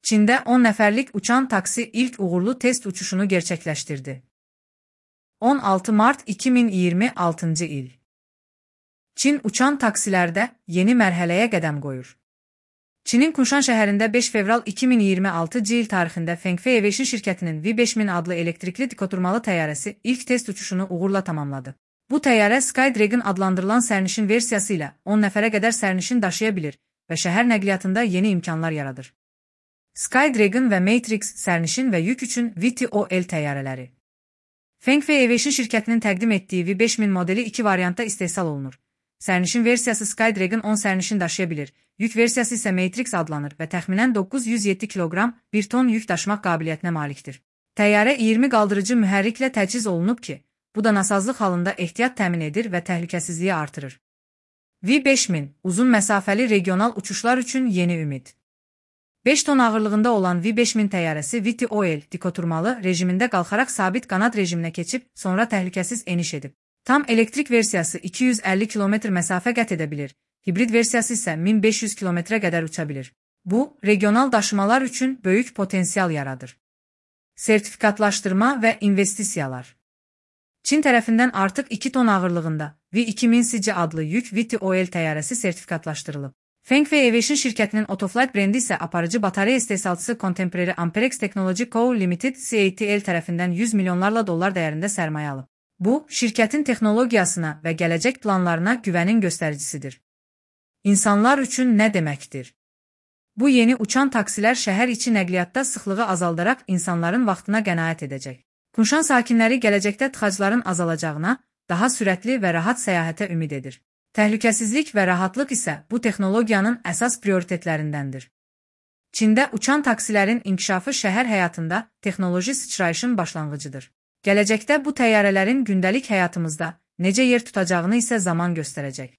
Çində 10 nəfərlik uçan taksi ilk uğurlu test uçuşunu gerçekleştirdi. 16 Mart 2026 il. Çin uçan taksilərdə yeni mərhələyə qədəm qoyur. Çinin Kunshan şəhərində 5 fevral 2026 il tarixində Fengfei Aviation şirkətinin V5000 adlı elektrikli dikoturmalı təyyarəsi ilk test uçuşunu uğurla tamamladı. Bu təyyarə Skydragon adlandırılan sərnişin versiyası ilə 10 nəfərə qədər sərnişin daşıya bilir və şəhər nəqliyyatında yeni imkanlar yaradır. Skydragon və Matrix sərnişin və yük üçün VTOL təyyarələri. Fengfei Aviation şirkətinin təqdim etdiyi V5000 modeli 2 variantda istehsal olunur. Sərnişin versiyası Skydragon 10 sərnişin daşıya bilir, yük versiyası isə Matrix adlanır və təxminən 907 kiloqram 1 ton yük daşımaq qabiliyyətinə malikdir. Təyyarə 20 qaldırıcı mühərriklə təchiz olunub ki, bu da nasazlıq halında ehtiyat təmin edir və təhlükəsizliyi artırır. V5000 uzun məsafəli regional uçuşlar üçün yeni ümid. 5 ton ağırlığında olan V5000 təyyarəsi VTOL dikoturmalı rejimində qalxaraq sabit qanad rejiminə keçib, sonra təhlükəsiz eniş edib. Tam elektrik versiyası 250 km məsafə qət edə bilir, hibrid versiyası isə 1500 km-ə qədər uça bilir. Bu, regional daşımalar üçün böyük potensial yaradır. Sertifikatlaşdırma və investisiyalar. Çin tərəfindən artıq 2 ton ağırlığında V2000 adlı yük VTOL təyyarəsi sertifikatlaşdırılıb. Fengfei Aviation şirkətinin Autoflight brendi isə aparıcı batareya istehsalçısı Contemporary Amperex Technology Co. Limited CATL tərəfindən 100 milyonlarla dollar dəyərində sərmayə alıb. Bu, şirkətin texnologiyasına və gələcək planlarına güvənin göstəricisidir. İnsanlar üçün nə deməkdir? Bu yeni uçan taksilər şəhər içi nəqliyyatda sıxlığı azaldaraq insanların vaxtına qənaət edəcək. Kunshan sakinləri gələcəkdə tıxacların azalacağına, daha sürətli və rahat səyahətə ümid edir. Təhlükəsizlik və rahatlıq isə bu texnologiyanın əsas prioritetlərindəndir. Çində uçan taksilərin inkişafı şəhər həyatında texnoloji sıçrayışın başlanğıcıdır. Gələcəkdə bu təyyarələrin gündəlik həyatımızda necə yer tutacağını isə zaman göstərəcək.